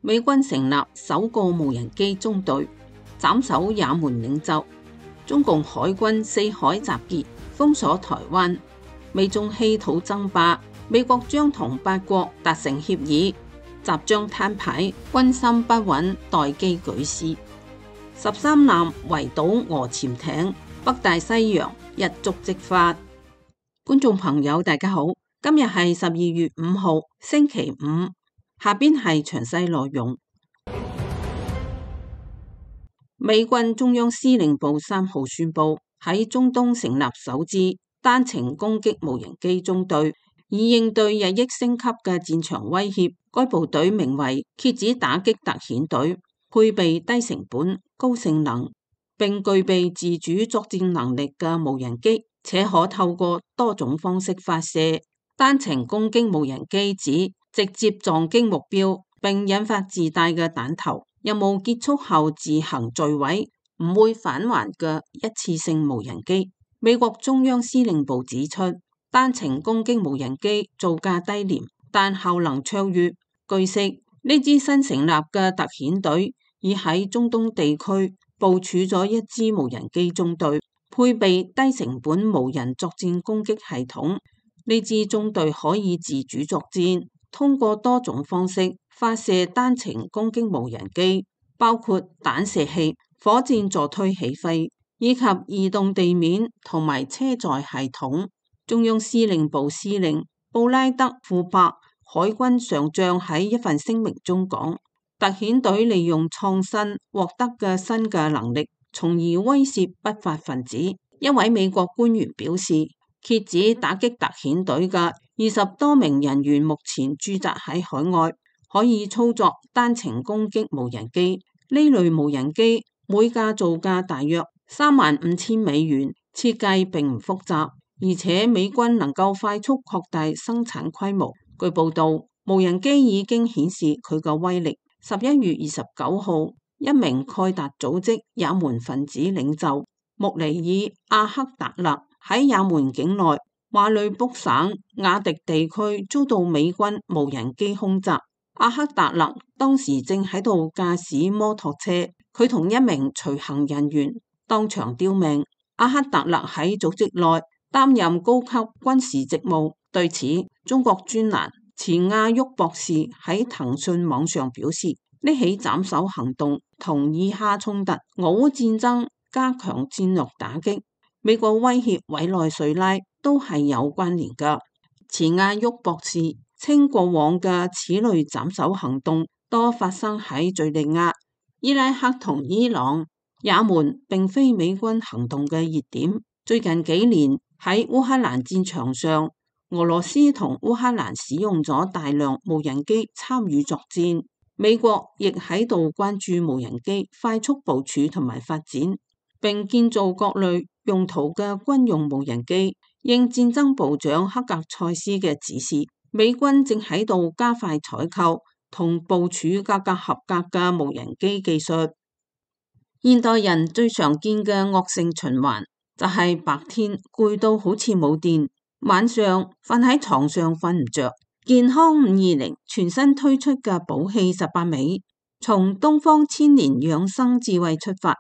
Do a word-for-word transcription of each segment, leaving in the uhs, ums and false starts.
美軍成立首個無人機中隊，斬首也門領袖。中共海軍四海集結，封鎖台灣。美中稀土爭霸，美國將同八國達成協議，習將攤牌，軍心不穩，待機舉事。十三艦圍堵俄潛艇，北大西洋一觸即發。觀眾朋友大家好，今日係十二月五號星期五，下邊係詳細內容。美軍中央司令部三號宣布喺中東成立首支單程攻擊無人機中隊，以應對日益升級嘅戰場威脅。該部隊名為蝎子打擊特遣隊，配備低成本、高性能，並具備自主作戰能力嘅無人機，且可透過多種方式發射。單程攻擊無人機指直接撞擊目標並引發自帶嘅彈頭，任務結束後自行墜毀，唔會返還嘅一次性無人機。美國中央司令部指出，單程攻擊無人機造價低廉，但效能卓越。據悉，呢支新成立嘅特遣隊已喺中東地區部署咗一支無人機中隊，配備低成本無人作戰攻擊系統。呢支中隊可以自主作戰，通過多種方式發射單程攻擊無人機，包括彈射器、火箭助推起飛，以及移動地面同埋車載系統。中央司令部司令布拉德庫珀海軍上將喺一份聲明中講，特遣隊利用創新獲得嘅新嘅能力，從而威懾不法分子。一位美國官員表示，蝎子打擊特遣隊嘅二十多名人員目前駐紮喺海外，可以操作單程攻擊無人機。呢類無人機每架造價大約三萬五千美元，設計並唔複雜，而且美軍能夠快速擴大生產規模。據報道，無人機已經顯示佢嘅威力。十一月二十九號，一名蓋達組織也門分子領袖穆尼爾阿克達勒喺也門境內馬里卜省雅迪地區遭到美軍無人機空襲。阿克達勒當時正喺度駕駛摩托車，佢同一名隨行人員當場丟命。阿克達勒喺組織內擔任高級軍事職務。對此，中國專欄錢亞旭博士喺騰訊網上表示，呢起斬首行動同以哈衝突、俄烏戰爭加強戰略打擊、美國威脅委內瑞拉都係有關聯㗎。錢亞旭博士稱，過往嘅此類斬首行動多發生喺敘利亞、伊拉克同伊朗，也門並非美軍行動嘅熱點。最近幾年喺烏克蘭戰場上，俄羅斯同烏克蘭使用咗大量無人機參與作戰，美國亦喺度關注無人機快速部署同埋發展，並建造各類用途嘅軍用無人機。應戰爭部長克格塞斯嘅指示，美軍正喺度加快採購同部署價格合格嘅無人機技術。現代人最常見嘅惡性循環就係白天攰到好似冇電，晚上瞓喺床上瞓唔着。健康五二零全新推出嘅寶氣十八味，從東方千年養生智慧出發，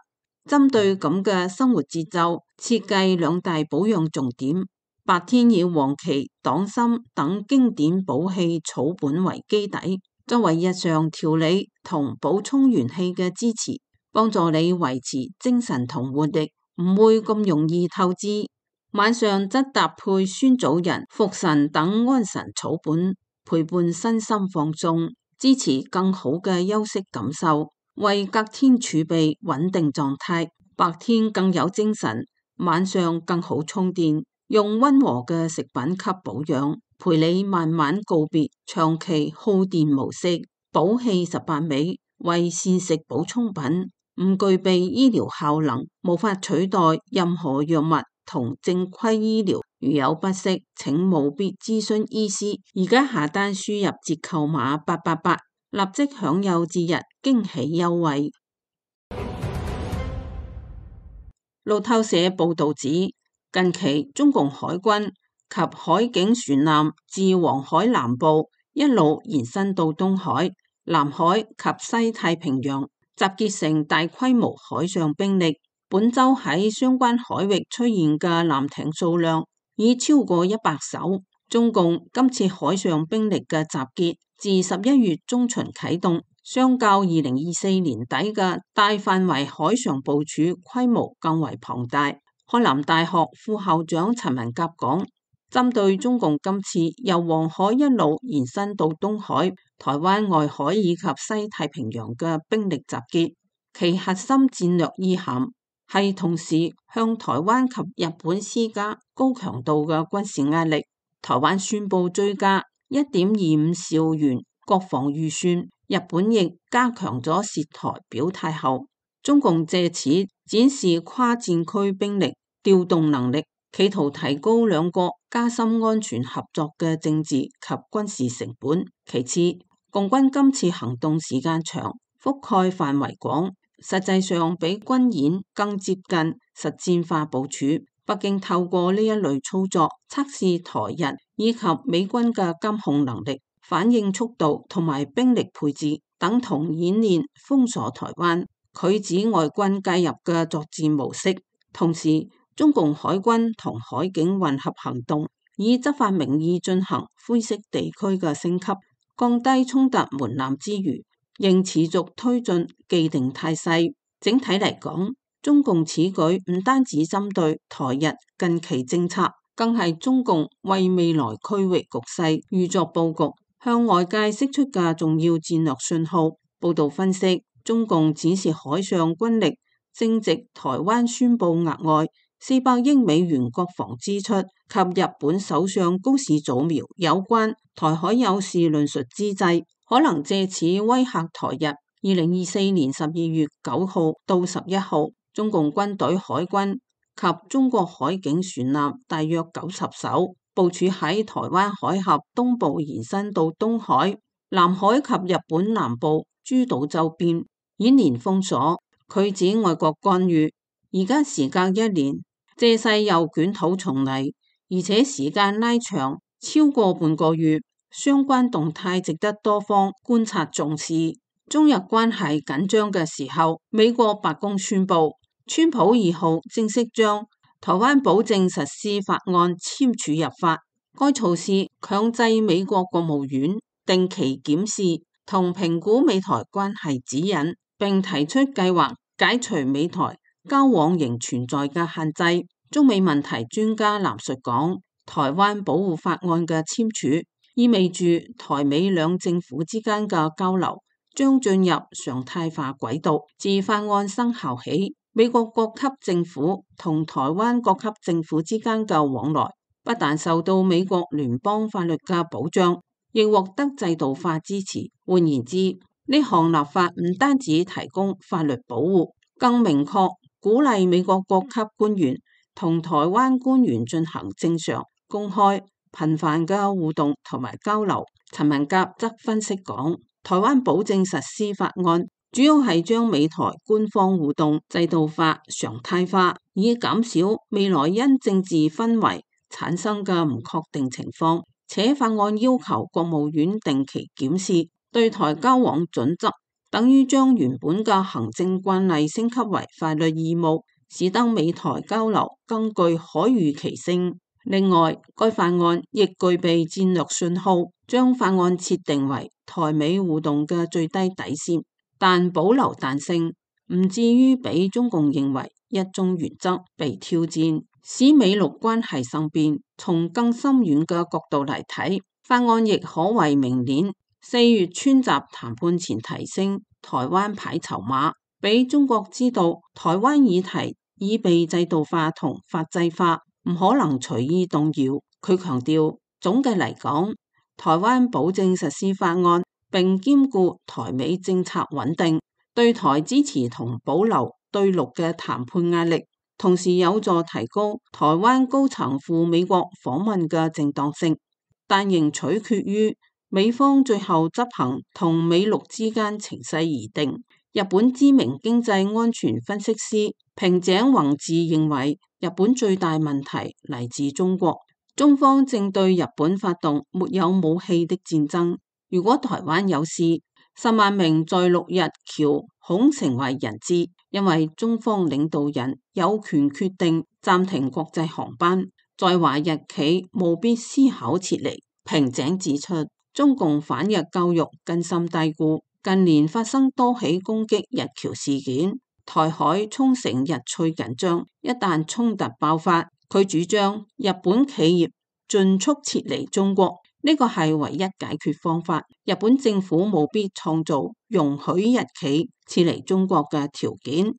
針對咁嘅生活節奏，設計兩大保養重點。白天以黃芪、黨參等經典補氣草本為基底，作為日常調理同補充元氣嘅支持，幫助你維持精神同活力，唔會咁容易透支。晚上則搭配酸棗仁、茯神等安神草本，陪伴身心放鬆，支持更好嘅休息感受，為隔天儲備穩定狀態。白天更有精神，晚上更好充電。用溫和嘅食品給保養，陪你慢慢告別長期耗電模式。寶氣十八味為膳食補充品，唔具備醫療效能，無法取代任何藥物同正規醫療。如有不適，請務必諮詢醫師。而家下單輸入折扣碼八八八，立即享有節日驚喜優惠。路透社報道指，近期中共海軍及海警船艦自黃海南部一路延伸到東海，南海及西太平洋，集結成大規模海上兵力。本週喺相關海域出現嘅艦艇數量已超過一百艘。中共今次海上兵力嘅集結自十一月中旬啟動，相較二零二四年底嘅大範圍海上部署規模更為龐大。海南大學副校長陳文甲講，針對中共今次由黃海一路延伸到東海、台灣外海以及西太平洋嘅兵力集結，其核心戰略意涵係同時向台灣及日本施加高強度嘅軍事壓力。台灣宣布追加一點二五兆元國防預算，日本亦加強咗涉台表態後，中共借此展示跨戰區兵力調動能力，企圖提高兩國加深安全合作嘅政治及軍事成本。其次，共軍今次行動時間長，覆蓋範圍廣，實際上比軍演更接近實戰化部署。北京透過呢一類操作，測試台日以及美軍嘅監控能力、反應速度同埋兵力配置，等同演練封鎖台灣、拒止外軍介入嘅作戰模式。同時，中共海軍同海警混合行動，以執法名義進行灰色地區嘅升級，降低衝突門檻之餘，仍持續推進既定態勢。整體嚟講，中共此舉唔單止針對台日近期政策，更係中共為未來區域局勢預作佈局、向外界釋出嘅重要戰略信號。報道分析，中共展示海上軍力正值台灣宣布額外四百億美元國防支出及日本首相高市早苗有關台海有事論述之際，可能借此威嚇台日。二零二四年十二月九號到十一號，中共軍隊海軍及中國海警船艦大約九十艘，部署喺台灣海峽東部延伸到東海、南海及日本南部諸島周邊，演練封鎖、拒止外國干預。而家時隔一年，借勢又捲土重來，而且時間拉長超過半個月，相關動態值得多方觀察重視。中日關係緊張嘅時候，美國白宮宣布，川普二號正式將台灣保證實施法案簽署入法。該措施強制美國國務院定期檢視同評估美台關係指引，並提出計劃解除美台交往仍存在嘅限制。中美問題專家藍述講，台灣保護法案嘅簽署意味住台美兩政府之間嘅交流將進入常態化軌道。自法案生效起，美國各級政府同台灣各級政府之間嘅往來不但受到美國聯邦法律嘅保障，亦獲得制度化支持。換言之，呢項立法唔單止提供法律保護，更明確鼓勵美國各級官員同台灣官員進行正常、公開、頻繁嘅互動同埋交流。陳文甲則分析講，台灣保證實施法案主要係將美台官方互動制度化、常態化，以減少未來因政治氛圍產生嘅唔確定情況。且法案要求國務院定期檢視對台交往準則，等於將原本嘅行政慣例升級為法律義務，使得美台交流更具可預期性。另外，該法案亦具備戰略信號，將法案設定為台美互動嘅最低底線，但保留彈性，唔至於俾中共認為一中原則被挑戰，使美陸關係生變。從更深遠嘅角度嚟睇，法案亦可為明年四月川習談判前提升台灣牌籌碼，俾中國知道台灣議題已被制度化同法制化，唔可能隨意動搖。佢強調，總嘅嚟講，台灣保證實施法案並兼顧台美政策穩定，對台支持同保留對陸嘅談判壓力，同時有助提高台灣高層赴美國訪問嘅正當性，但仍取決於美方最後執行同美陸之間情勢而定。日本知名經濟安全分析師平井宏志認為，日本最大問題嚟自中國，中方正對日本發動沒有武器的戰爭。如果台灣有事，十萬名在陸日僑恐成為人質，因為中方領導人有權決定暫停國際航班，在華日企務必思考撤離。平井指出，中共反日教育根深蒂固，近年發生多起攻擊日僑事件，台海沖繩日趨緊張，一旦衝突爆發，佢主張日本企業盡速撤離中國，呢個係唯一解決方法。日本政府務必創造容許日企撤離中國嘅條件。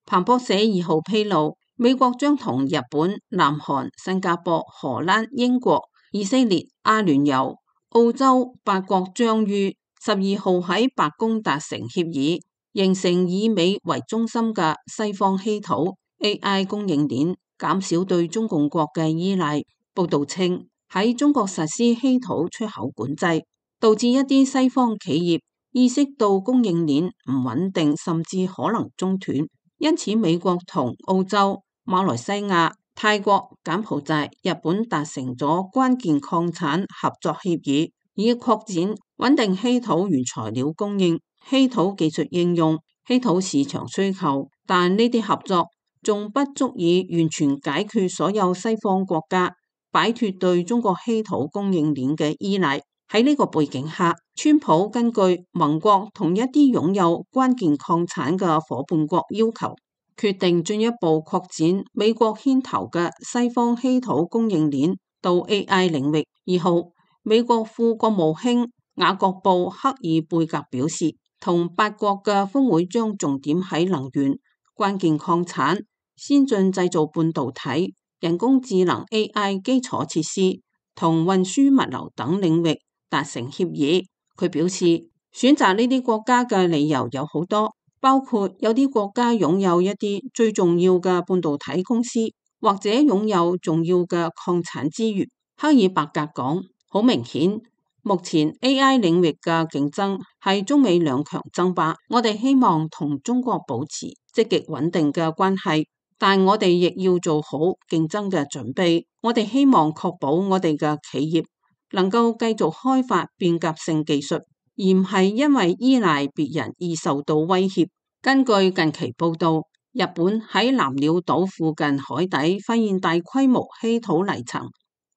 彭博社二號披露，美國將同日本、南韓、新加坡、荷蘭、英國、以色列、阿聯酋、澳洲八國將於十二號喺白宮達成協議，形成以美為中心嘅西方稀土 A I 供應鏈，減少對中共國嘅依賴。報道稱，喺中國實施稀土出口管制，導致一啲西方企業意識到供應鏈唔穩定，甚至可能中斷。因此，美國同澳洲、馬來西亞、泰國、柬埔寨、日本達成咗關鍵礦產合作協議，以擴展穩定稀土原材料供應、稀土技術應用、稀土市場需求。但呢啲合作仲不足以完全解決所有西方國家擺脫對中國稀土供應鏈嘅依賴。喺呢個背景下，川普根據盟國同一啲擁有關鍵礦產嘅夥伴國要求，決定進一步擴展美國牽頭嘅西方稀土供應鏈到 A I 領域。二號，美國副國務卿雅各布克爾貝格表示，同八國嘅峰會將重點喺能源、關鍵礦產、先進製造半導體、人工智能 A I 基礎設施同運輸物流等領域達成協議。佢表示，選擇呢啲國家嘅理由有好多，包括有啲國家擁有一啲最重要嘅半導體公司，或者擁有重要嘅礦產資源。克爾伯格講，好明顯，目前 A I 領域嘅競爭係中美兩強爭霸。我哋希望同中國保持積極穩定嘅關係，但我哋亦要做好競爭嘅準備。我哋希望確保我哋嘅企業能夠繼續開發變革性技術，而唔係因為依賴別人而受到威脅。根據近期報道，日本喺南鳥島附近海底發現大規模稀土泥層，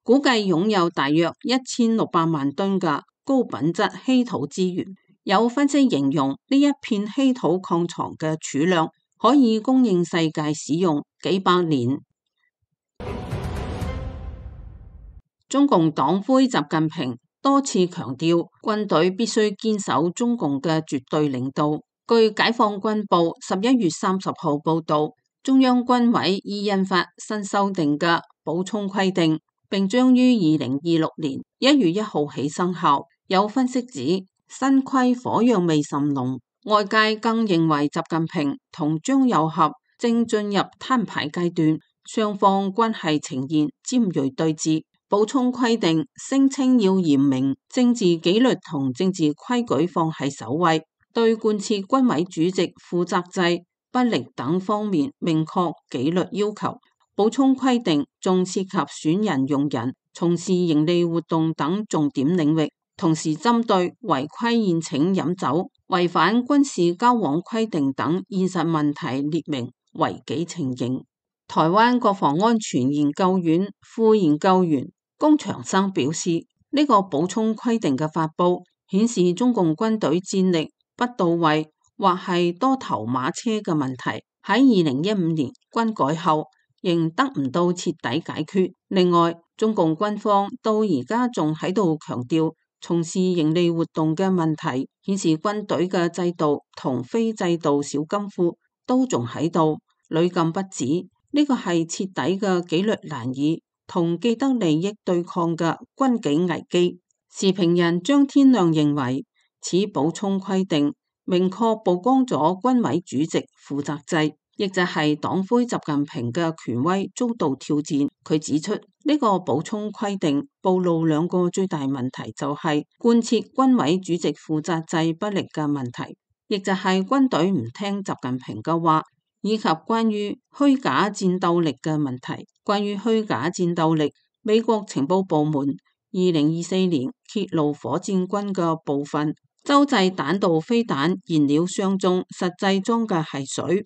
估計擁有大約一千六百萬噸嘅高品質稀土資源。有分析形容呢一片稀土礦床嘅儲量可以供應世界使用幾百年。中共黨魁習近平多次強調，軍隊必須堅守中共嘅絕對領導。據解放軍報十一月三十號報道，中央軍委已印發新修訂嘅補充規定，並將於二零二六年一月一號起生效。有分析指，新規火藥味甚濃，外界更認為習近平同張又俠正進入攤牌階段，雙方關係呈現尖銳對峙。補充規定聲稱要嚴明政治紀律同政治規矩放喺首位，對貫徹軍委主席負責制、不力等方面明確紀律要求。補充規定仲涉及選人用人、從事營利活動等重點領域，同時針對違規宴請飲酒、違反軍事交往規定等現實問題列明違紀情形。台灣國防安全研究院副研究員龔長生表示，呢、這個補充規定嘅發布顯示中共軍隊戰力不到位或係多頭馬車嘅問題，喺二零一五年軍改後仍得唔到徹底解決。另外，中共軍方到而家仲喺度強調從事營利活動嘅問題，顯示軍隊嘅制度同非制度小金庫都仲喺度，屢禁不止。呢個係徹底嘅紀律難以同既得利益對抗嘅軍紀危機。時評人張天亮認為，此補充規定明確曝光咗軍委主席負責制，亦就係黨魁習近平嘅權威遭到挑戰。佢指出，呢、這個補充規定暴露兩個最大問題，就係貫徹軍委主席負責制不力嘅問題，亦就係軍隊唔聽習近平嘅話，以及關於虛假戰鬥力嘅問題。關於虛假戰鬥力，美國情報部門二零二四年揭露火箭軍嘅部分洲際彈道飛彈燃料箱中實際裝嘅係水。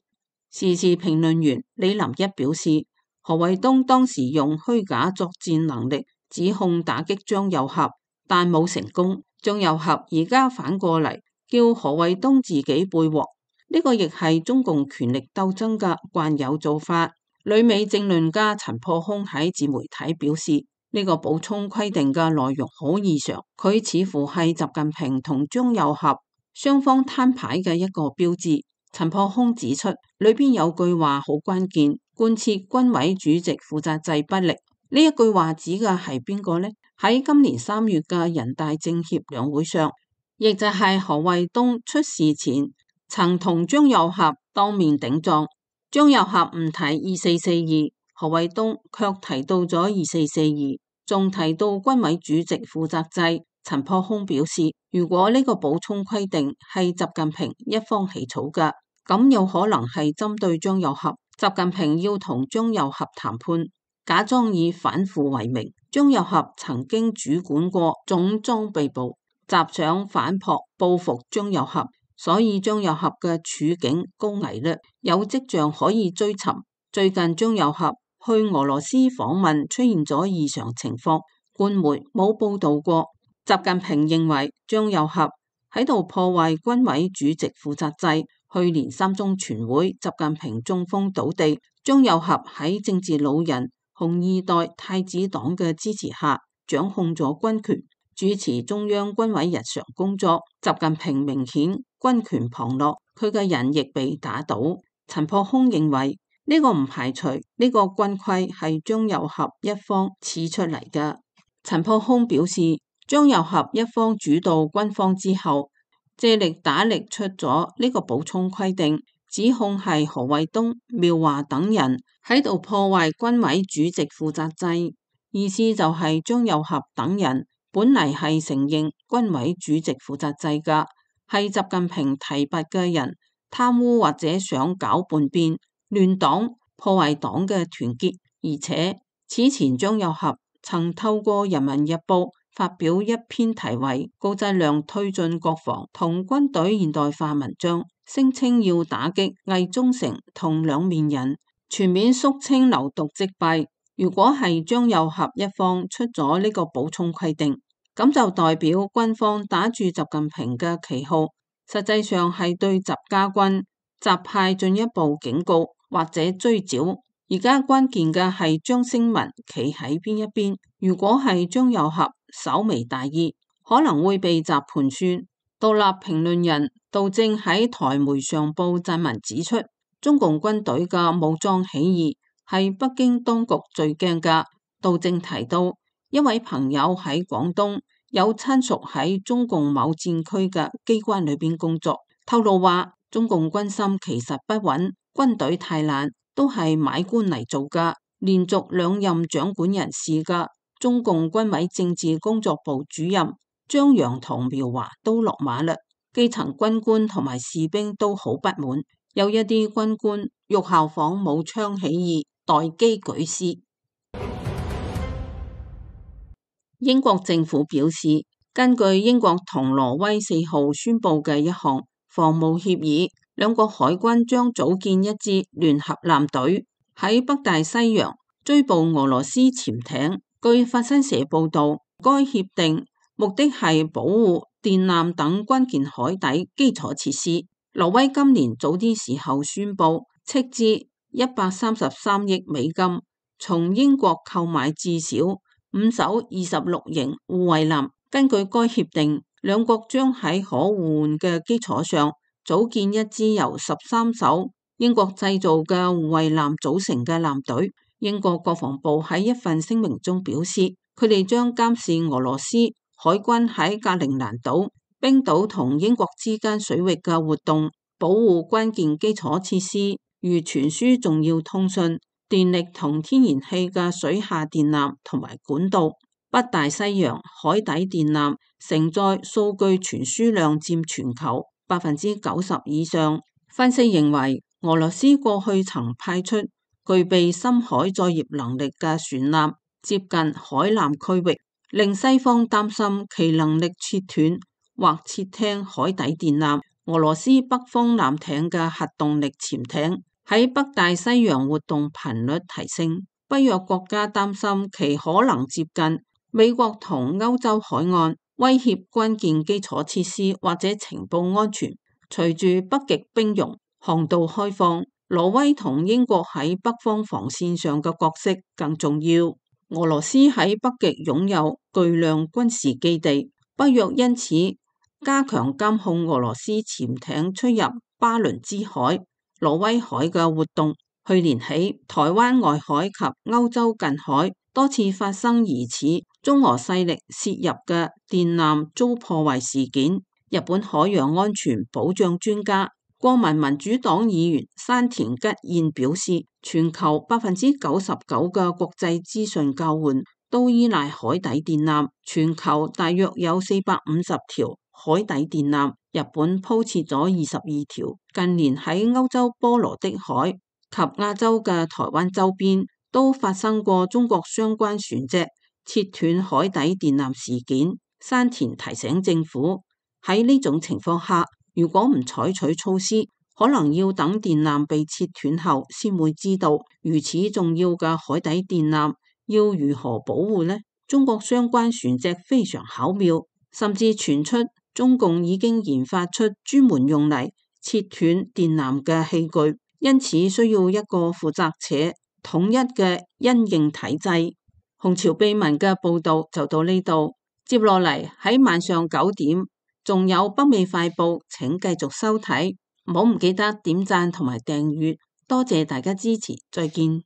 時事評論員李林一表示，何衛東當時用虛假作戰能力指控打擊張又俠，但冇成功。張又俠而家反過嚟叫何衛東自己背鑊，呢個亦係中共權力鬥爭嘅慣有做法。旅美政論家陳破空喺自媒體表示，呢個補充規定嘅內容好異常，佢似乎係習近平同張又俠雙方攤牌嘅一個標誌。陳破空指出，裏邊有句話好關鍵，貫徹軍委主席負責制不力。呢一句話指嘅係邊個呢？喺今年三月嘅人大政協兩會上，亦就係何衛東出事前曾同張又俠當面頂撞，張又俠唔提二四四二，何衛東卻提到咗二四四二，仲提到軍委主席負責制。陳破空表示，如果呢個補充規定係習近平一方起草嘅，咁有可能係針對張又俠。習近平要同張又俠談判，假裝以反腐為名。張又俠曾經主管過總裝備部，習想反撲報復張又俠，所以張又俠嘅處境高危嘞，有跡象可以追尋。最近張又俠去俄羅斯訪問出現咗異常情況，官媒冇報道過。習近平認為張又俠喺度破壞軍委主席負責制。去年三中全會，習近平中風倒地，張又俠喺政治老人紅二代太子黨嘅支持下，掌控咗軍權，主持中央軍委日常工作。習近平明顯軍權旁落，佢嘅人亦被打倒。陳破空認為呢個唔排除呢個軍規係張又俠一方刺出嚟嘅。陳破空表示，張又俠一方主導軍方之後，借力打力出咗呢個補充規定，指控係何衛東、苗華等人喺度破壞軍委主席負責制，意思就係張又俠等人本嚟係承認軍委主席負責制㗎，係習近平提拔嘅人貪污或者想搞叛變、亂黨、破壞黨嘅團結。而且此前張又俠曾透過《人民日報》發表一篇題為《高質量推進國防同軍隊現代化》文章，聲稱要打擊偽忠誠同兩面人，全面肅清流毒積弊。如果係張又俠一方出咗呢個補充規定，咁就代表軍方打住習近平嘅旗號，實際上係對習家軍、習派進一步警告或者追剿。而家關鍵嘅係張聲文企喺邊一邊。如果係張又俠稍微大意，可能會被習盤算。獨立評論人杜正喺台媒上報撰文指出，中共軍隊嘅武裝起義係北京當局最驚㗎。杜正提到，一位朋友喺廣東有親屬喺中共某戰區嘅機關裏邊工作，透露話中共軍心其實不穩，軍隊太爛，都係買官嚟做㗎。連續兩任掌管人士嘅中共軍委政治工作部主任張陽同苗華都落馬啦，基層軍官同埋士兵都好不滿，有一啲軍官欲效仿武昌起義，待機舉師。英國政府表示，根據英國同挪威四號宣布嘅一項防務協議，兩國海軍將組建一支聯合艦隊，喺北大西洋追捕俄羅斯潛艇。據法新社報道，該協定目的係保護電纜等關鍵海底基礎設施。挪威今年早啲時候宣布斥資一百三十三億美金，從英國購買至少五艘二十六型護衛艦。根據該協定，兩國將喺可互換嘅基礎上組建一支由十三艘英國製造嘅護衛艦組成嘅艦隊。英國國防部喺一份聲明中表示，佢哋將監視俄羅斯海軍喺格陵蘭島、冰島同英國之間水域嘅活動，保護關鍵基礎設施，如傳輸重要通訊、電力同天然氣嘅水下電纜同埋管道。北大西洋海底電纜承載數據傳輸量佔全球百分之九十以上。分析認為，俄羅斯過去曾派出具備深海作業能力嘅船艦接近海南區域，令西方擔心其能力切斷或竊聽海底電纜。俄羅斯北方艦艇嘅核動力潛艇喺北大西洋活動頻率提升，北約國家擔心其可能接近美國同歐洲海岸，威脅關鍵基礎設施或者情報安全。隨住北極冰融、航道開放，挪威同英國喺北方防線上嘅角色更重要。俄羅斯喺北極擁有巨量軍事基地，北約因此加強監控俄羅斯潛艇出入巴倫支海、挪威海嘅活動。去年起，台灣外海及歐洲近海多次發生疑似中俄勢力涉入嘅電纜遭破壞事件。日本海洋安全保障專家、國民民主黨議員山田吉彥表示，全球百分之九十九嘅國際資訊交換都依賴海底電纜，全球大約有四百五十條海底電纜，日本鋪設咗二十二條。近年喺歐洲波羅的海及亞洲嘅台灣周邊都發生過中國相關船隻切斷海底電纜事件。山田提醒政府，喺呢種情況下，如果唔採取措施，可能要等電纜被切斷後先會知道。如此重要嘅海底電纜要如何保護呢？中國相關船隻非常巧妙，甚至傳出中共已經研發出專門用嚟切斷電纜嘅器具，因此需要一個負責且統一嘅因應體制。紅潮秘聞嘅報道就到呢度，接落嚟喺晚上九點仲有北美快報，請繼續收睇，唔好唔記得點讚同埋訂閱，多謝大家支持，再見。